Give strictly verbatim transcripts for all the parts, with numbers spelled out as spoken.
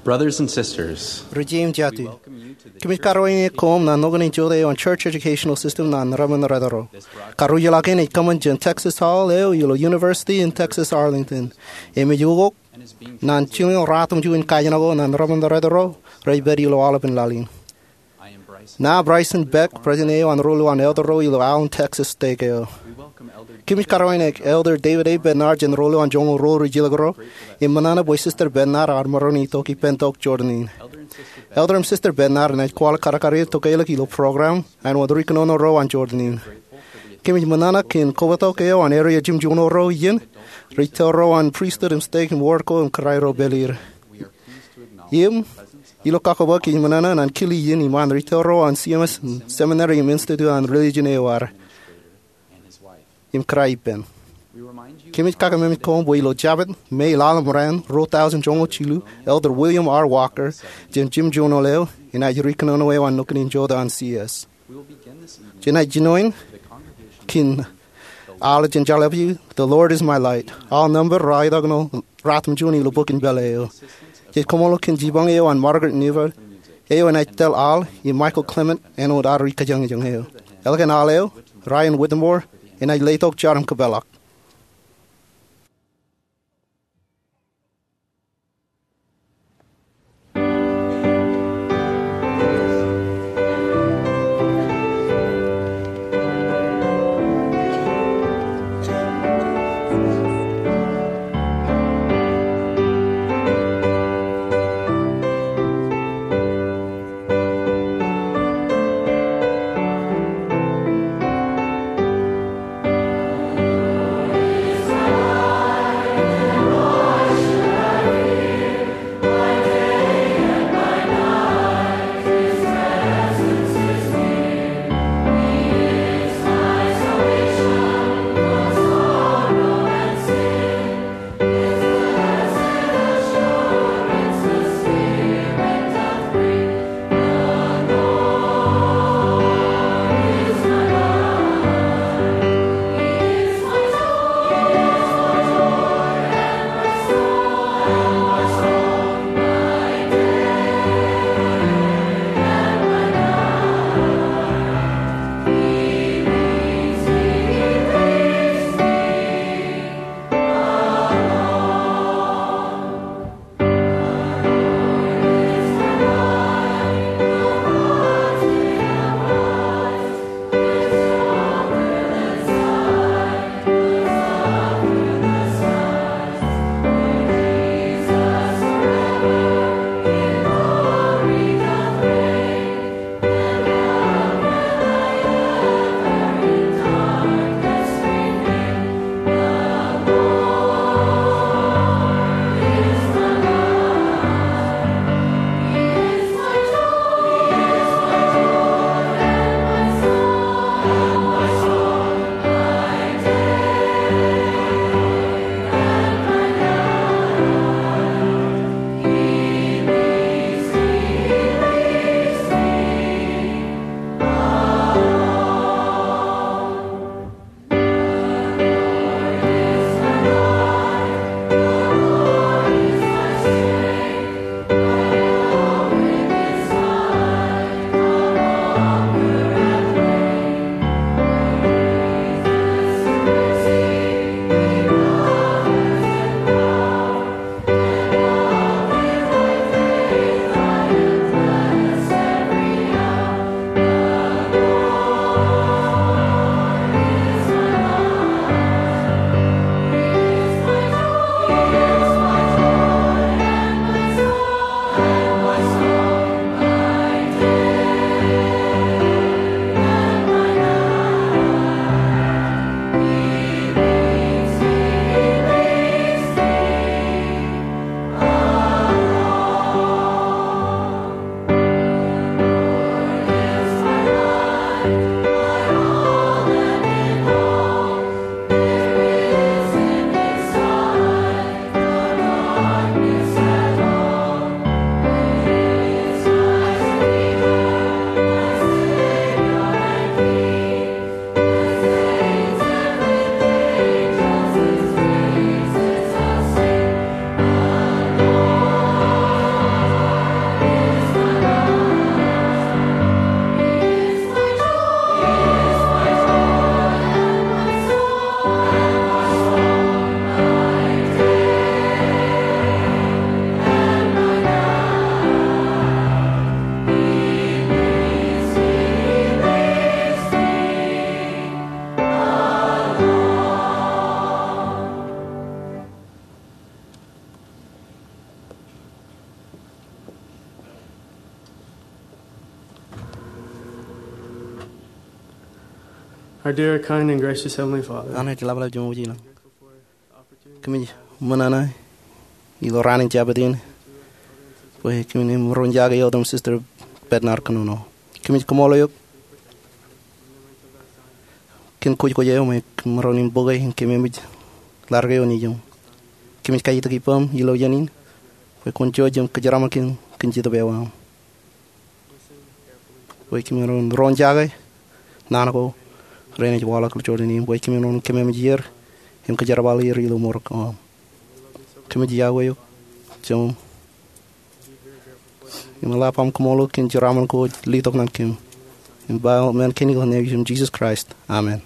Brothers and sisters, ri-jeim jatū, kōmij karuwainene koṃ naan nukun in jota eo an Church Educational System naan remenrōtro. Karuj ḷọk in ej kōṃṃan jān Texas Hall eo ilo University in Texas Arlington. Im ej ukok naan jilñoul ratimjuon in kajin ko naan remenrōtro rej pād ilo aolepān laḷ in. Ṇa Bryson Beck, president eo an ro ilowaan elder ro ilo Allen, Texas stake eo. Kōmij karuwainene Elder David A. Bednar jān ro ilowaan joñoul ruo rijilōk ro, im ṃōṇōṇō bwe Sister Bednar ear maroñ in itok ippān tok Jordan in. Elder im Sister Bednar enaaj kwaḷọk karkar er tokālik ilo program āinwōt ri kōnono ro an Jordan in. Kōmij ṃōṇōṇō kōn kobatok eo an area jimjuon ro iien, ri tōl ro an pristut im stake im ward ko im kōrā ro pād er. Im ilo kakkobok kōmij ṃōṇōṇō naan kile iien iṃaan ri tōl ro an C M S im seminary im institute an religion eo ad im kōrā ippān. Kōmij kakememej koṃ bwe ilo Jabōt, May laḷ im raan, ruo tọujin joñoul jilu, Elder William R. Walker jān jimjuon eo enaaj ri kōnono eo an nukun in jota an C S. Jenaaj jinoin kōn aḷ jān Jabōt, The Lord is my light. Aḷ nōṃba ruo ḷọk ṇe ratimjuon ilo bok in pālle eo. Jej koṃṃool kōn jipañ eo an Margaret Niver, eo enaaj tōl aḷ, im Michael Clement āinwōt ad ri kōjañjañ eo. Ālikin aḷ eo, Ryan Whittemore enaaj letok jar im kōpeḷḷọk. Our dear, kind, and gracious Heavenly Father, Naaj ḷapḷap Ijeṃ wōj ilañ. Kōmij ṃōṇōṇō ilo raan in Jabōt in bwe kōmin maroñ in jake eok im Sister Bednar kōnono. Kōmij kaṃool eok kōn kwōj kwōj eo im maroñ in bōke im kememej ḷaddik eo nejiṃ. Kōmij kaitik ippaṃ ilo iien in bwe kwōn jouj im kōjeraṃōk kōn kōn Jetōb eo aṃ. Bwe kōmin ro in jake naan ko renaaj waḷọk ilo jorrāān in, bwe kōmin ro in kememej er im kōjerbal er ilo mour ko aṃ. Kōmij iọkwe eok Jemem im eḷap am kaṃṃoolol kōn jeraaṃṃan ko ej letok ñan kōm. Im ba men kein ilo name in Jesus Christ. Amen.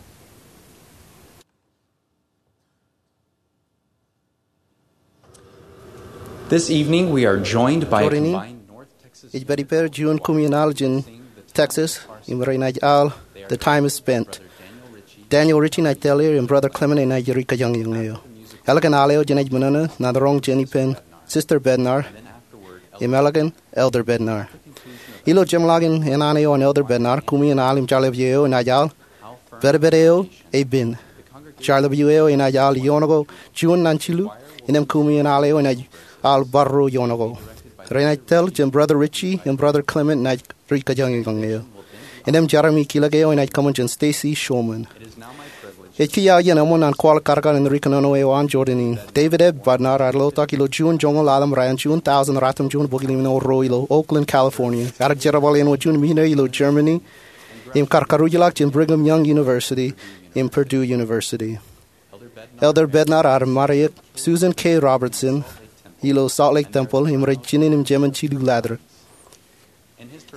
This evening, we are joined by a Jorrāān in, combined North Texas ej pād ippāer juon kumi in al jān Texas im renaaj al The Time Is Spent. Daniel Ritchie enaaj tōl er im Brother Clement enaaj ri kōjañjañ eo. Ālikin al eo jenaaj ṃōṇōṇō ñan roñ jān ippān Sister Bednar im ālikin Elder Bednar. Ilo jeṃḷọkin āne eo an Elder Bednar, kumi in al im jarlepju eo enaaj al, pedped eo ej pen. Jarlepju eo enaaj al ioon ko juon ñan jilu, innām kumi in al eo enaaj al bar ruo ioon ko. Renaaj tōl jān Brother Ritchie im Brother Clement enaaj ri kōjañjañ eo. Innām jerami kilōk eo enaaj kōṃṃan jān Stacy Shulman. Ej kiiō aō iien eṃṃan an kwaḷọk kadkad in ri kōnono eo an jorrāān in. David A. Bednar ear lotak ilo Juun joñoul ḷalem raan, Juun tōūsan ratimjuon bōk limno ruo ilo Oakland, California. Ear jerbal āinwōt juon misinōri ilo Germany im kar karuj ḷọk jān Brigham Young University im Purdue University. Elder Bednar ear ṃare eok Susan K. Robertson ilo Salt Lake Temple im rej jinen im jemān jilu latrik.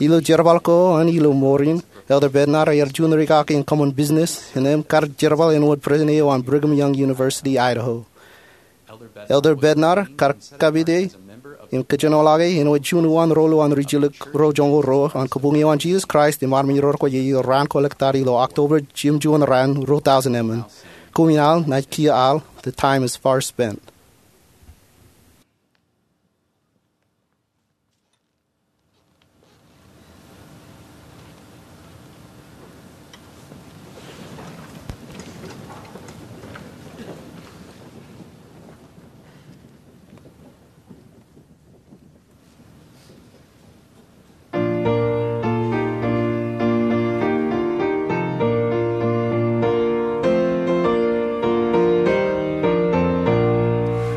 Ilo jerbal ko an ilo mour in, Elder Bednar ear juon rikaki in kōṃṃan business, innām kar jerbal āinwōt president eo an Brigham Young University, Idaho. Elder Bednar kar kapite im kōjenolọke āinwōt juon uwaan ro ilo an ri jilkinḷọk ro joñoul ruo an Kabuñ eo an Jesus Christ im Armej Rekwōjarjar ilo raan ko ḷọk tata ilo October, jimjuon raan, ruo tōūsan emān. Kumi in al naaj kiiō al, the time is far spent.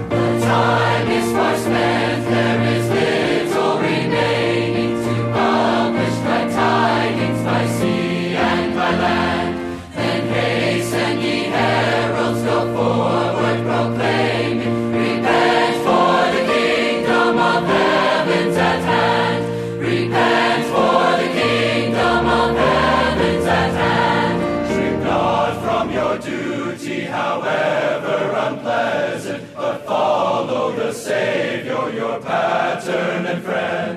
The time is far spent, there is little remaining to publish glad tidings by sea and by land. Then hasten, ye heralds, go forward proclaiming, repent, for the kingdom of heaven's at hand. Repent, for the kingdom of heaven's at hand. Shrink not from your duty, however unpleasant, but follow the Savior, your pattern and friend.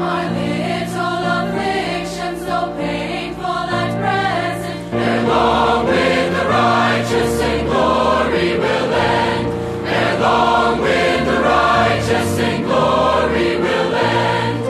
Our little afflictions, though painful at present, ere long with the righteous in glory will end. Ere long with the righteous in glory will end.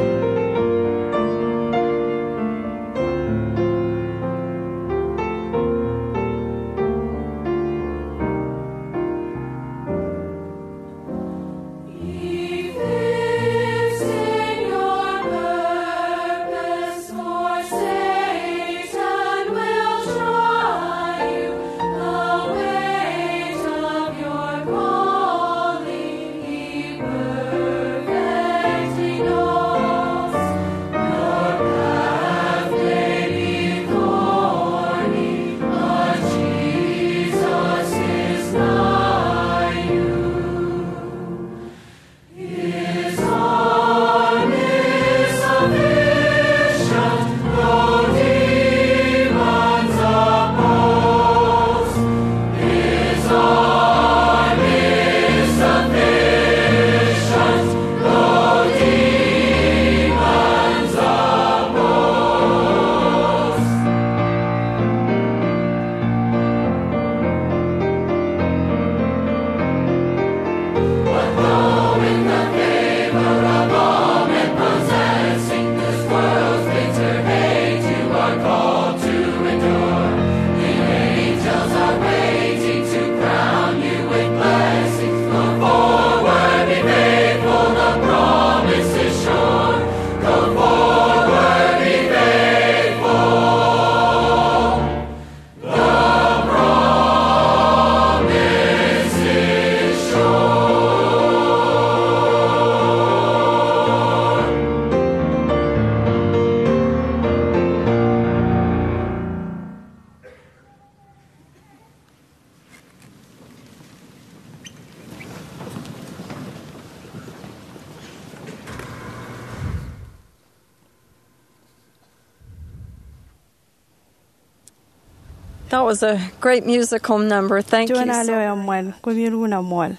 That was a great musical number. Thank you so much. Juon al eo eṃṃan, koṃi lukkuun eṃṃool.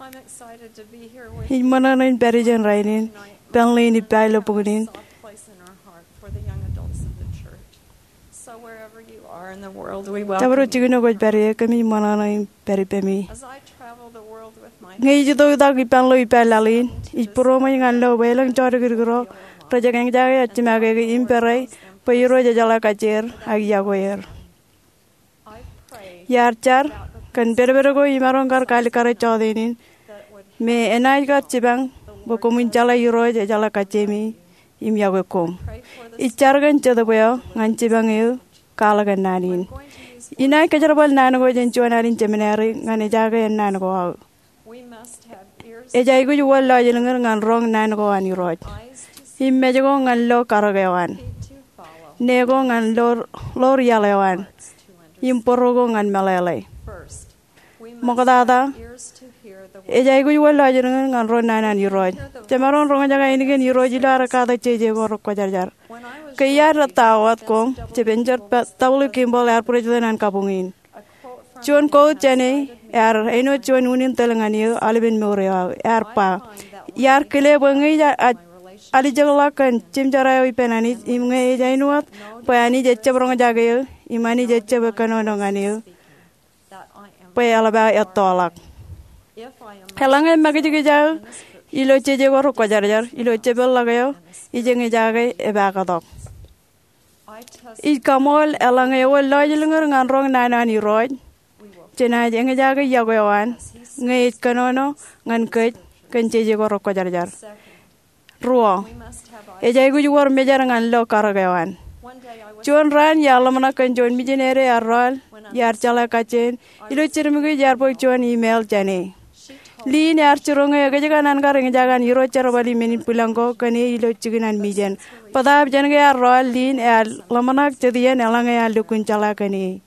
I'm excited to be here with you. Ij ṃōṇōṇō in pād ijeṇ rainin, ippān ḷein ippa ilo bok in. Soft place in our heart for the young adults of the church. So wherever you are in the world, we welcome you. Jabdewōt jikin eo kwōj pād ie, kōmij ṃōṇōṇō in pād ippemi. As I travel the world with my Ñe ij itok ippān ḷeo ippa laḷ in, ij būroṃōj ñan lo bwe elōñ jodikdik ro rej eñjake aō jimakeke im pere bwe Irooj ejeḷā kajjier ak iọkwe er. Iar jar kōn pedped ko imaroñ kar kaalikkare jọteen in, me enaaj kar jipañ bwe koṃwin jeḷā Irooj ejeḷā kajjiemi im iọkwe koṃ. Ij jar kōn jetōb eo ñan jipañ eō kwaḷọk ennaan in. Inaaj kōjerbal naan ko jān juon ad in seminary ñan ejaake ennaan ko aō. Ej aikuj wōr lọjilñid ñan roñ naan ko an Irooj, im mej ko ñan lo karōk eo an, ne ko ñan lo, ḷoor iaḷ eo an, im bōro ko ñan meḷeḷe. Ṃoktata, ej aikuj wōr lọjilñid ñan ro naan an Irooj. Jemaroñ roñjake ainikien Irooj ilo ad katak jeje ko rekwōjarjar. Ke iar ettā wōt koṃ, Jebin Jeb W. Kimball ear bwidej tok ñan kabuñ in. Juon quote jāne ear āinwōt juon unin tōl ñan eō aolepen mour eo aō. Ear ba, iar kile bwe ñe ij a-, alijekḷọk kōn jimjera eo ippān Anij, im ñe ej āinwōt bwe Anij ejjab roñjake eō, im Anij ejjab kōnono ñan eō, bwe eḷap aō ettoḷọk. Eḷaññe makijkij aō ilo jeje ko rekwōjarjar, ilo jepelḷọk eo, ij eñjake epaaktok. Ij kaṃool eḷaññe ewōr lọjilñid ñan roñ naan an Irooj, jenaaj eñjake iọkwe eo an, ñe ej kōnono ñan kōj kōn jeje ko rekwōjarjar. Ruo, ej aikuj wōr mejer ñan lo karōk eo an. Juon raan iar ḷōmṇak kōn juon mijineri ear rọọl, iar jeḷā kajjien, ilo jidik im iar bōk juon email jāne. Lynn ear jiroñ eō kōjkan an kar eñjake an irooj jerbal in men in bwilōñ ko kōn e ilo jikin an mijen. Bōtaab jān ke ear rọọl, Lynn ear ḷōmṇak jet iien eḷaññe ear lukkuun jeḷā kōn e.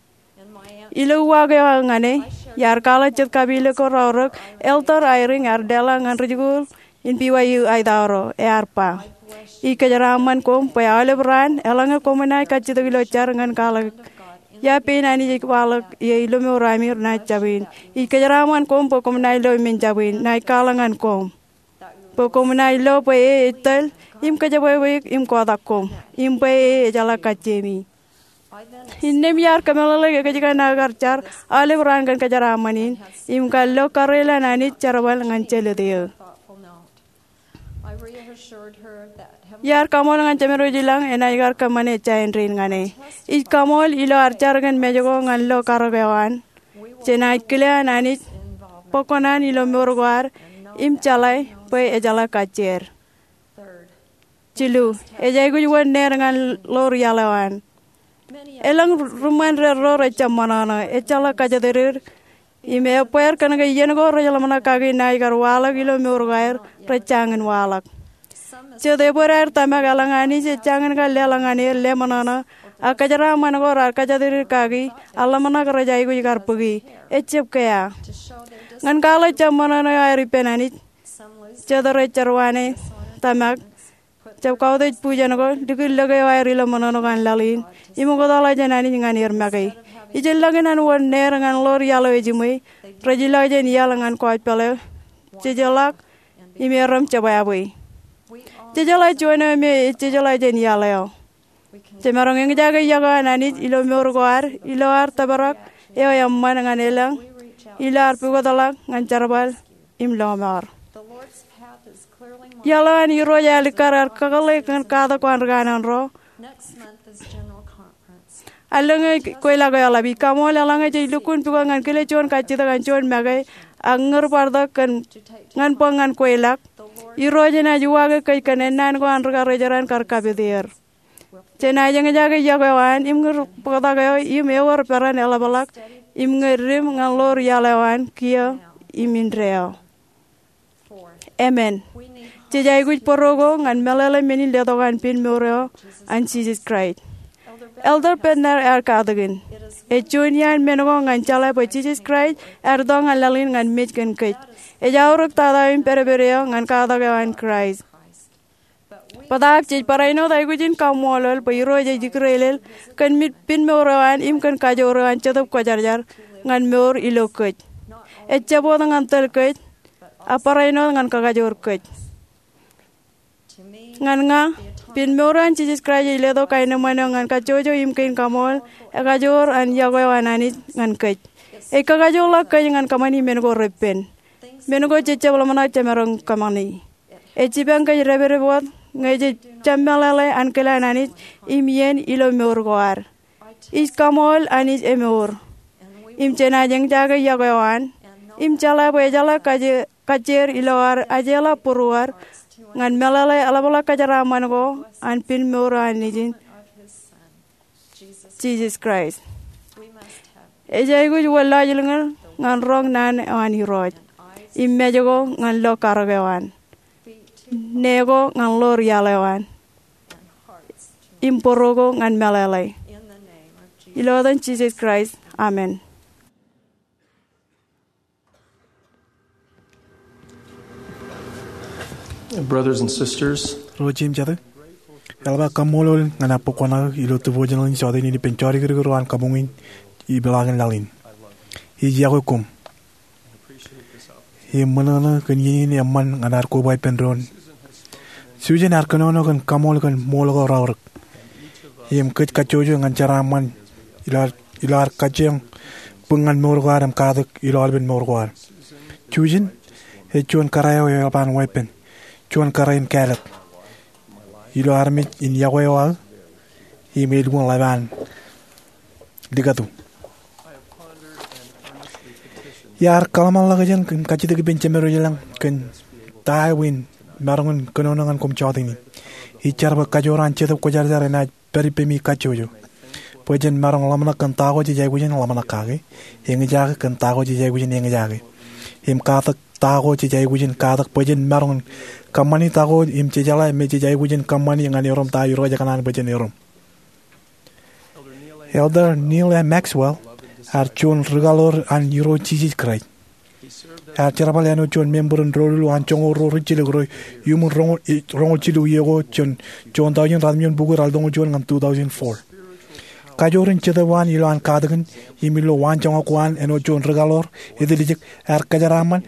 Ilo uwaak eo aō ñan e, iar kwaḷọk jet kapilōk ko raorōk Elder Eyring ear leḷọk ñan ri-jikuuḷ in B Y U Idaho ro, ear ba, ij kōjeraaṃṃan koṃ bwe aolep raan, eḷaññe koṃ naaj kajjitōk ilo jar ñan kwaḷọk ia pein Anij ej waḷọk ie ilo mour ami, renaaj jab in. Ij kōjeraaṃṃan koṃ bwe koṃ naaj lo men jab in, naaj kwaḷọk ñan koṃ. Bwe koṃ naaj lo bwe e ej tōl, im kōjebwebweik, im kotak koṃ, im bwe e ejeḷā kajjiemi. Innām iar kōmeḷeḷeik ekōjkan aō kar jar aolep raan kōn kōjeraaṃṃan in, im kar lo kareel an Anij jerbal ñan jelōt eō. Iar kaṃool ñan Jemedwōj ilañ enaaj kar kōṃṃane ejja āindein ñan e. Ij kaṃool ilo ad jar kōn mej ko ñan lo karōk eo an, jenaaj kile an Anij bōk kōṇaan ilo mour ko ad im jeḷā bwe ejeḷā kajjier. Jilu, ej aikuj wōr neer ñan ḷoor iaḷ eo an. Elōñ ri-, ri-ṃṃan ro rej jab ṃōṇōṇō, ejjeḷọk kōjatdikdik, im ebbeer kōn ke iien ko rej ḷōmṇak kaki naaj kar waḷọk ilo mour ko aer, rej jañin waḷọk. Jet ebōd aer tōmak eḷaññe Anij ej jañin kar leḷọk ñan er leṃōṇōṇō, ak kōjeraaṃṃan ko raar kōjatdikdik kaki, ak ḷōmṇak rej aikuj kar bōki. Ejjab kea. Ñan kwaḷọk jab ṃōṇōṇō eo aer ippān Anij, jet rej jerwāne tōmak, jab kautiej bujen ko, likūt lōke eo aer ilo ṃōṇōṇō ko an laḷ in, im oktaḷọk jān Anij ñan er make. Ijellọkin an wōr neer ñan ḷoor iaḷ eo ejiṃwe, rej ilọk jān iaḷ ñan gospel eo, jejeḷọk, im erom jebwābwe. Jejeḷā juon eo me ej jejeḷā jān iaḷ eo. Jemaroñ eñjake iọkwe an Anij ilo mour ko ad, ilo ad tōprak eo eṃṃan ñan elōñ, ilo ad pukotḷọk ñan jerbal im lọmọọr. Iaḷ eo an Irooj eo alikkar ear kakōḷḷe kōn katak ko an ri kanaan ro. Allōñ eo kweilọk eo eḷap. Ij kaṃool eḷaññe jej lukkuun pukot ñan kile juon kajjitōk an juon make, ak ñūr bar tok kōn ñan bōk ñan kweilọk. Irooj enaaj uwaake kōj kōn ennaan ko an ri-karijeran kar kapit er. Jenaaj eñjake iọkwe eo an im ñūr bōktak eo im ewōr peran eḷapḷọk im ñe dim ñan ḷoor iaḷ eo an kiiō im indeeo. Emān. Jej aikuj bōro ko ñan meḷeḷe men in letok an pen mour eo an Jisōs Kraist. Elder Bednar ear katakin, ej juon iaan men ko ñan jeḷā bwe Jisōs Kraist ear itok ñan laḷ in ñan mej kōn kōj. Ej aorōk tata eo im pedped eo ñan katak eo an Kraist. Bōtaab jej barāinwōt aikuj in kaṃṃoolol bwe Irooj ej ikdeḷeḷ kōn pin mour eo an im kōn kajoor eo an Jetōb Kwōjarjar ñan mour ilo kōj. Ejjab wōt ñan tōl kōj, ak barāinwōt ñan kakajoor kōj. Ñan ña, pin mour eo an Jisōs Kraist ej letok kaenōṃṃan eo ñan kajjojo im kein kaṃool, ekajoor an yokwe eo an Anij ñan kōj. Ej kakajoorḷọk kōj ñan kōṃṃani men ko repen, men ko jejjab ḷōmṇak jemaroñ kōṃṃani. Ej jipañ kōj dāpdep wōt ñe jej jab meḷeḷe ankilaan Anij im iien ilo mour ko ad. Ij kaṃool Anij emour, im jenaaj eñjake yokwe eo an, im jeḷā bwe ejeḷā kajjeer ilo ad ajeḷā būruod ñan meḷeḷe eḷapḷọk kōjeraaṃṃan ko an pin mour eo an Nejin, Jisōs Kraist. Ej aikuj wōnḷọk ilñoul ñan roñ naan eo an Irooj, im mej ko ñan lo karōk eo an, ne ko ñan lo rial eo an, im bōro ko ñan meḷeḷe. Ilo etan Jisōs Kraist, amen. Brothers and sisters, ro jeiū im jatū, eḷap aō kaṃṃoolol ñan aō bōk kuṇaō ilo devotional in jota in ippān jodikdik ro an kabuñ in ipeḷaakin laḷ in. Ij iọkwe koṃ im ṃōṇōṇō kōn iien in eṃṃan ñan ad koba ippān doon. Susan ear kōnono kōn kaṃool kōn ṃool ko raorōk im kōj kajjojo ñan jeraaṃṃan ilo ad, ilo ad kajjioñ bōk ñan mour ko ad im katak ilo aolepen mour ko ad. Susan ej juon kōrā eo eḷap an weeppān, juon kōrā in kāālōt ilo armej in yokwe eo aō im elukkuun ḷap an likatu. Iar kōḷmānḷọkjeṇ im kajjitōk ippān Jemed Eo Ilañ kōn ta eo in maroñ in kōnono ñan koṃ jota in. Ij jar bwe kajoor an Jetōb Kwōjarjar enaaj pād ippemi kajjojo bwe jen maroñ ḷōmṇak kōn ta ko jej aikuj in ḷōmṇak kake, eñjake kōn ta ko jej aikuj in eñjake, im katak ta ko jej aikuj in katak bwe jen maroñ in kōṃṃani ta ko im jejeḷā me jej aikuj in kōṃṃani ñan erom ta Irooj ekōṇaan bwe jen erom. Elder Neal A. Maxwell ear juon ri-kaḷoor an Irooj Jisōs Kraist. Ear jerbal āinwōt juon member in doulul an joñoul ruo rijjilōk ro iuṃwin roñoul, eh, roñoul jilu iiō ko jān juon taujin ratimjuon bukwi raelōñoul juon ñan two thousand four. Kajoor in Jetōb eo an ilo an katakin im ilo waanjoñak ko an āinwōt juon ri-kaḷoor etiljek ear kōjeraaṃṃan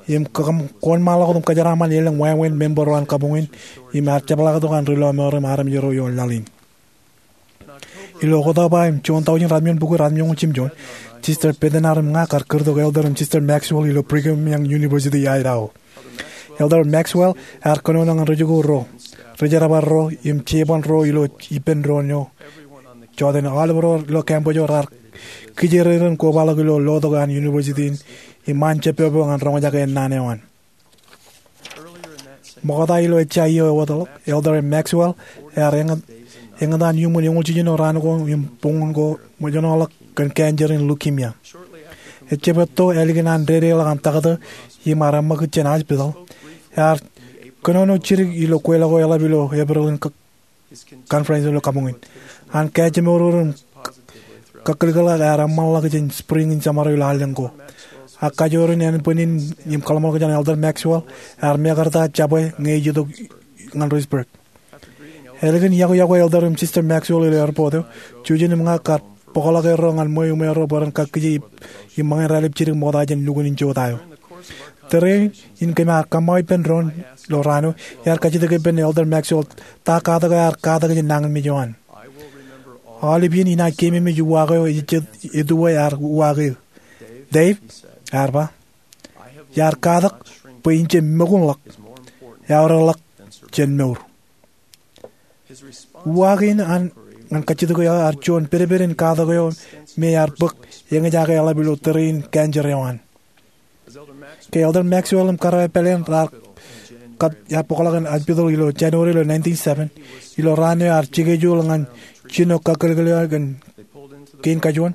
im kōṃ-, kōṃṃanḷọk wōt im kōjeraaṃṃan elōñ wāween member ro an kabuñ in im ear jepḷaaktok an ri-lọmọọr im armej ro ioon laḷ in. Ilo Oktoba in juon taujin ratimjuon bukwi ratimjuon jimjuon, Sister Bednar im ña kar kūrtok Elder im Sister Maxwell ilo Brigham Young University, Idaho. Elder Maxwell ear kōnono ñan rijikuuḷ ro, rijerbal ro im jeban ro ilo ippān doon eo. Jota in aolep ro ilo campus eo raar kijeer in kobaḷọk ilo lotok an university in im ṃaan jeppopo ñan roñjake ennaan eo an. Ṃokta ilo ejja iiō ewōtlọk, Elder Maxwell ear eñōt, eñōtan iuṃwin eñoul jiljino raan ko im boñōn ko ṃōjṇọḷọk kōn cancer in leukemia. Ejjab etto ālikin an dedeḷọk an taktō im ear eṃṃakūt jān hospital, ear kōnono jidik ilo kweilọk ko eḷap ilo April in conference ilo kabuñ in. An kajemour im kakkōlkōlḷọk ear eṃṃanḷọk jān spring in summer ilo allōñ ko. Ak kajoor in ānbwinnin im kōḷmānḷọkjeṇ an Elder Maxwell ear mekarta jabwe ñe ej itok ñan Reedsburg. Ālikin iọkwe iọkwe Elder im Sister Maxwell ilo airport eo, Susan im ña kar bōkḷọk erro ñan ṃweo im erro bwe ren kakkije im ṃōñā raelep jidik ṃokta jān lukkuun in jota eo. Tōre in kōm ar kōṃṃao ippān doon ilo raan eo, iar kajjitōk ippān Elder Maxwell ta katak eo ear katak jān nañinmej eo an. Aolep iien inaaj keememej uwaak eo ejejjet etto eo ear uwaak eō. "Dave," ear ba, "iar katak bwe in jab ṃōkunḷọk, eaorōkḷọk jān mour." Uwaak in an ñan kajjitōk eo ear juon pedped in katak eo me ear bōk eñjake eḷap ilo tōre in cancer eo an. Ke Elder Maxwell im kōrā eo pāleen raar kab ear bōkḷọk an hospital ilo January ilo nineteen seven, ilo raan eo ear schedule ñan jino kakkōlkōl eo kōn kein kajuon,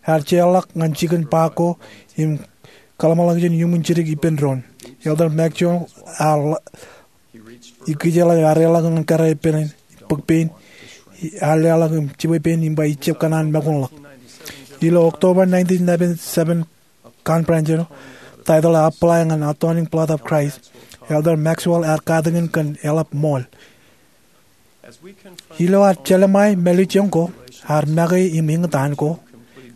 ear jeorḷọk ñan jikin park ko im kōḷmānḷọkjeṇ iuṃwin jidik ippān doon. Elder Maxwell ear ikijjeḷọk, ear eḷọk ñan kōrā eo pāleen, bōk pein, ear leḷọk im jibwe pein im ba ijjab kōṇaan ṃōkunḷọk. Ilo October nineteen ninety-seven conference eo, title eo Apply ñan Atoning Blood of Christ, Elder Maxwell ear katakin kōn eḷap ṃool. Ilo ad jeḷā mālejjoñ ko, ad make im eñtaan ko,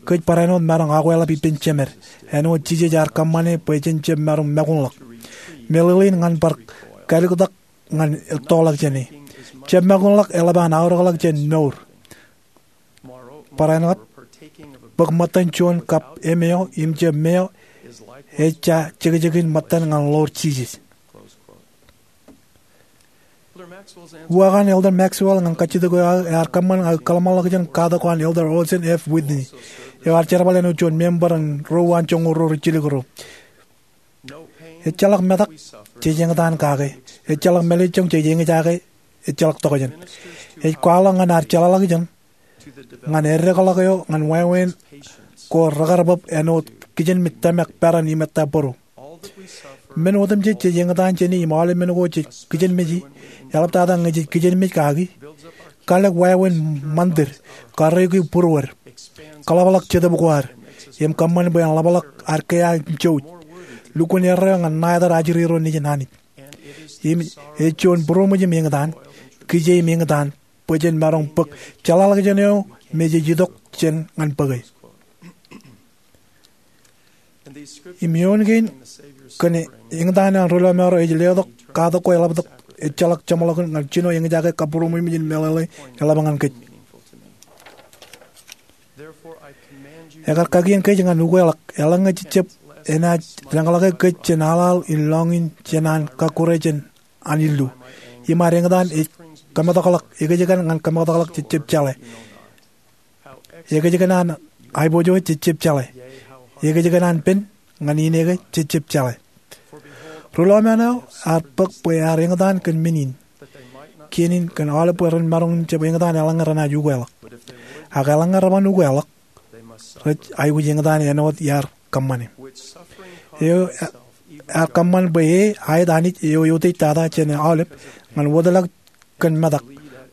kōj barāinwōt maroñ akweḷap ippān Jemed āinwōt Jisōs ear kōṃṃane bwe jen jab maroñ makuṇḷọk. Meḷeḷein ñan bar kalōktak ñan ettoḷọk jāne. Jab makuṇḷọk eḷap an aorōkḷọk jān mour. Barāinwōt, bōk ṃōttan juon kab emeo im jab meo ej jekjekin ṃōttan ñan ḷoor Jisōs. Uwaak an Elder Maxwell ñan kajjitōk eo aō ear kōṃṃan aō kōḷmānḷọkjeṇ katak ko an Elder Orson F. Whitney, eo ear jerbal āinwōt juon member in Ro Uwaan Joñoul Ruo Ri-jilkinrūṃ. Ejjeḷọk metak jej eñtaan kake. Ejjeḷọk mālejjoñ jej eñjake. Ejjeḷọk tokjān. Ej kwaḷọk ñan ad jeḷāḷọkjeṇ ñan eddekḷọk eo ñan wāween ko rekar bōb āinwōt kijenmej tōmak peran im ettā būru. Men otemjej jej eñtaan jāne im aolep men ko jej kijenmeji, eḷaptata ñe jej kijenmej kaki, kalōk wāween ṃandir, karreoiki būruod, kōḷapḷọk jetōb ko ad, im kōṃṃan bwe en ḷapḷọk ad kea im jouj, lukkuun erreo ñan ṇa etal ajri ro nejin Anij. Im ej juon būroṃōj im eñtaan, kije im eñtaan, bwe jen maroñ bōk jeḷāḷọkjeṇ eo me jej itok jān ñan bōke. Im eoon kein kōn eñtaan eo an Ri-lọmọọr eo ej letok katak ko eḷaptok ejjeḷọk jeṃḷọkin ñan jino eñjake kabbūroṃōj im meḷeḷe eḷap ñan kōj. Ekar kakien kōj ñan ukeḷọk eḷaññe jejjab enaaj deñḷọke kōj jān aḷaḷ in lọñiin jān an kakkure jān an illu. Im ad eñtaan ej kōmetakḷọk, ekōjkan an kōmetakḷọk jejjab jeḷā. Ekōjkan an aiboojoj jejjab jeḷā. Ekōjkan an pen ñan ineke jejjab jeḷā. Ri-lọmọọr eo ear bōk bwe ear eñtaan kōn men in, kien in kōn aolep bwe ren maroñ in jab eñtaan eḷaññe renaaj ukeḷọk. Ak eḷaññe reban ukeḷọk, rej aikuj eñtaan āinwōt iar kōṃṃane. Eo ear kōṃṃan bwe e aet Anij eo eutiej tata jān aolep ñan wōtlọk kōn metak,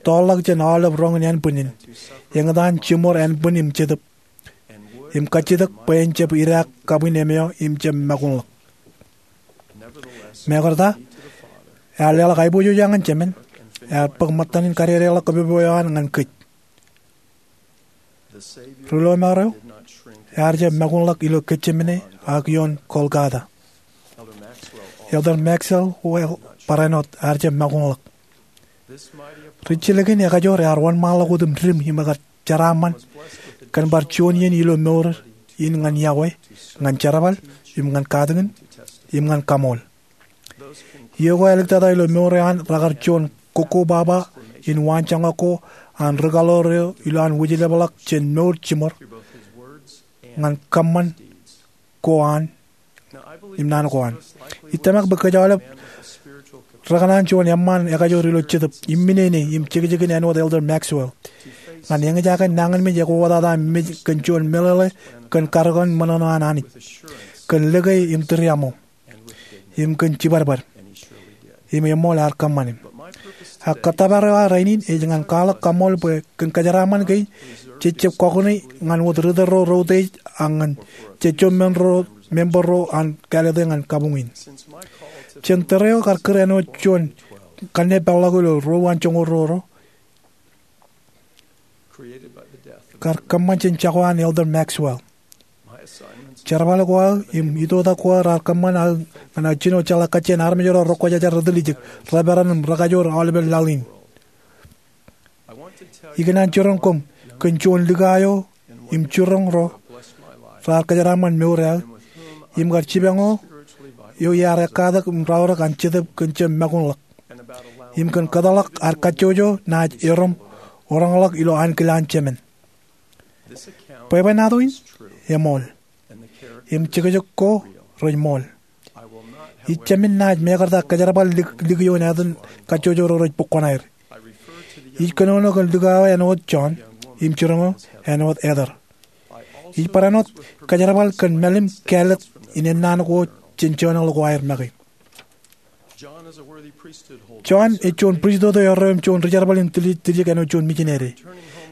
tọọrḷọk jān aolep roñ in ānbwinnin, eñtaan jiṃor ānbwin im jetōb, im kajjitōk bwe en jab idaak kabwin emeo im jab makuṇḷọk. Mekarta, ear leḷọk aiboojoj eo ñan Jemān, ear bōk ṃōttan in kadedeḷọk kōpopo eo an ñan kōj. Ri-lọmọọr eo ear jab makuṇḷọk ilo Getsemane ak ioon Golgotha. Elder Maxwell wōt barāinwōt ear jab makuṇḷọk. Ri-jilkinekajoor ear wōnṃaanḷọk wōt im didim im ekar jeraaṃṃan kōn bar juon iien ilo mour in ñan iọkwe, ñan jerbal, im ñan katakin, im ñan kaṃool. Iiō ko āliktata ilo mour eo an rekar juon kokkobaba in waanjoñak ko an ri-kaḷoor eo ilowaan wūjlepḷọk jān mour jiṃor ñan kōṃṃan ko an im naan ko an. Ij tōmak bwe kōj aolep rekōṇaan juon eṃṃaan ekajoor ilo jetōb, im minene, im jekjekin āinwōt Elder Maxwell, ñan eñjake nañinmej ekwokwōtata mej kōn juon meḷeḷe kōn karōkan ṃōṇōṇō an Anij, kōn lōke im tūriaṃo, im kōn jibadbad. Im eṃool ear kōṃṃane. Ak kōttōpar eo aō rainin ej ñan kwaḷọk kaṃool bwe kōn kōjeraaṃṃan kein, jej jab kọkoṇe ñan wōt ritōl ro reutiej ak ñan jejjo men ro, member ro an kāālōt eō ñan kabuñ in. Jān tōre eo kar kūr āinwōt juon kanne peḷḷọk ilo Ro Uwaan Joñoul Ruo Ruo, kar kōṃṃan jān jako an Elder Maxwell. Jerbal ko aō im itoitak ko aō raar kōṃṃan aō ñan aō jino jeḷā kajjien armej ro rekwōjarjar, retiljek, reperan im rekajoor aolepen laḷ in. Ikōṇaan jiroñ koṃ kōn juon likao eo im jiroñ ro raar kōjeraaṃṃan mour eo aō im kar jipañ eo, eo iar ekkatak im raorōk an jetōb kōn jab makuṇḷọk im kōn kōtḷọk ad kajjojo naaj erom roñḷọk ilo ankilaan Jemān. Bwebwenato in eṃool, im jekjek ko rej ṃool. Ij jemān naaj mekarta kōjerbal lik, lik ioon etan kajjojo ro rej bōk kuṇaer. Ij kōnono kōn likao eo āinwōt John im jiroñ eo āinwōt Heather. Ij barāinwōt kōjerbal kōn mālim kāālōt in ennaan ko jān joñan ko aer make. John ej juon pristut eo erreo im juon rijerbal in tiljek, tiljek āinwōt juon mijinede.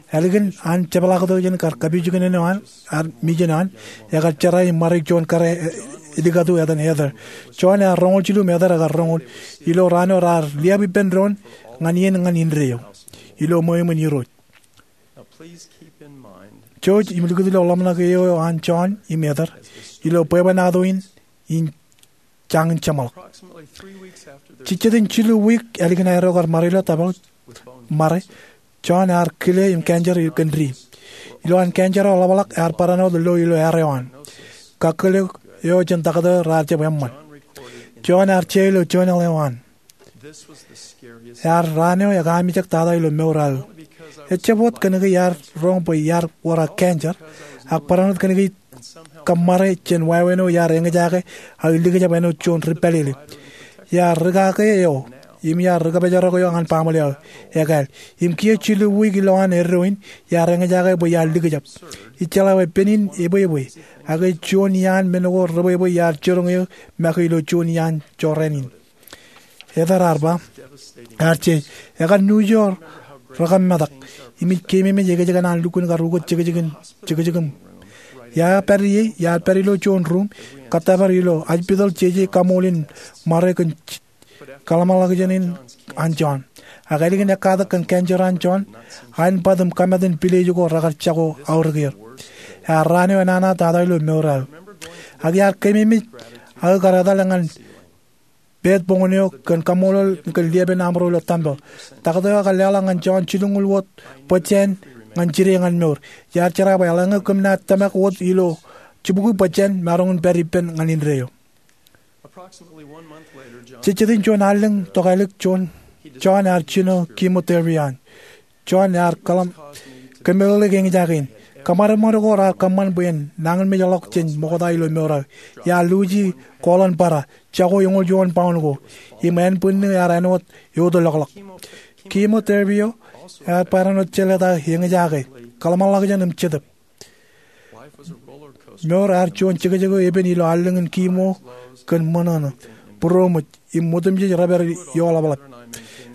Ālikin an jepḷaaktok jān kar kapijuknen eo an ad mijen an, ekar jera im ṃadik juon kōrā, e, edikatu etan Heather. John ear roñoul jilu im Heather ekar roñoul. Ilo raan eo raar liab ippān doon ñan iien ñan indeeo. ilo ṃweo iṃōn Irooj. Jouj im likūt ilo ḷōmṇak eo an John im Heather ilo bwebwenato in in jañin jeṃḷọk. Jejjet in jilu wiik ālikin aerro kar ṃare ilo tōprak, ṃare, John ear kile im cancer kōn di. Ilo an cancer eo ḷapḷọk ear barāinwōt lo ilo aer eo an. Kakkōl eo jān taktō raar jab eṃṃan. John ear je ilo journal eo an. Ear raan eo ekaamijak tata ilo mour eo aō. Ejjab wōt kōnke iar roñ bwe iar wōr aō cancer, ak barāinwōt kōnke kōṃṃare jān wāween eo iar eñjake aō likjab āinwōt juon ri pālele. Iar ri kake eo im iar ri kōpejarok eo ñan baaṃle eo ekāāl. Im kiiō jilu wiik ilowaan eddo in, iar eñjake bwe iar likjab. Ijjeḷā bwe pen in ebwebwe, ak ej juon iaan men ko rebwebwe iar jiroñ eō make ilo juon iaan jorrāān in. Heather ear ba, ear je, ekar nuuj eo rekōmmetak, im ij keememej ekōjkan an lukkuun kar ukōt jekjekin, jekjekin. Iar pād ie, iar pād ilo juon ruum, kōttōpar ilo ajpitōḷ jeje kaṃool in ṃare kōn kōḷmānḷọkjeṇ in an John. Ak ālikin ekkatak kōn cancer an John, aenbwat im kōmat in pilej ko rekar jako aorōk er. Ear raan eo enana tata ilo mour eo aō. Ak iar keememej aō kar etal ñan pād boñōn eo kōn kaṃṃoolol kōn liepen aṃro ilo tempeḷ. Taktō eo ekar leḷọk ñan John jilñuul wōt bōjjāān ñan jide ñan mour. Iar jera bwe eḷaññe kōm naaj tōmak wōt ilo jibukwi bōjjāān, maroñ in pād ippān ñan indeeo. Jejjet in juon allōñ tokālik, John, John ear jino chemotherapy eo an. John ear kōḷmānḷọk kōmeḷeḷeik eñjake in. Kōṃadṃōd ko raar kōṃṃan bwe en nañinmej ḷọk jān ṃokta ilo mour eo aō. Iar luuji kooḷan bōra, jako eñoul juon pound ko, im ānbwinnū ear āinwōt eotelḷọkḷọk. Chemotherapy eo ear barāinwōt jelōt aō eñjake, kōḷmānḷọkjeṇ im jetōb. Mour ear juon jekjek eo epen ilo allōñ in chemo kōn ṃōṇōṇō, būroṃōj, im otemjej rej pād ioḷapḷap.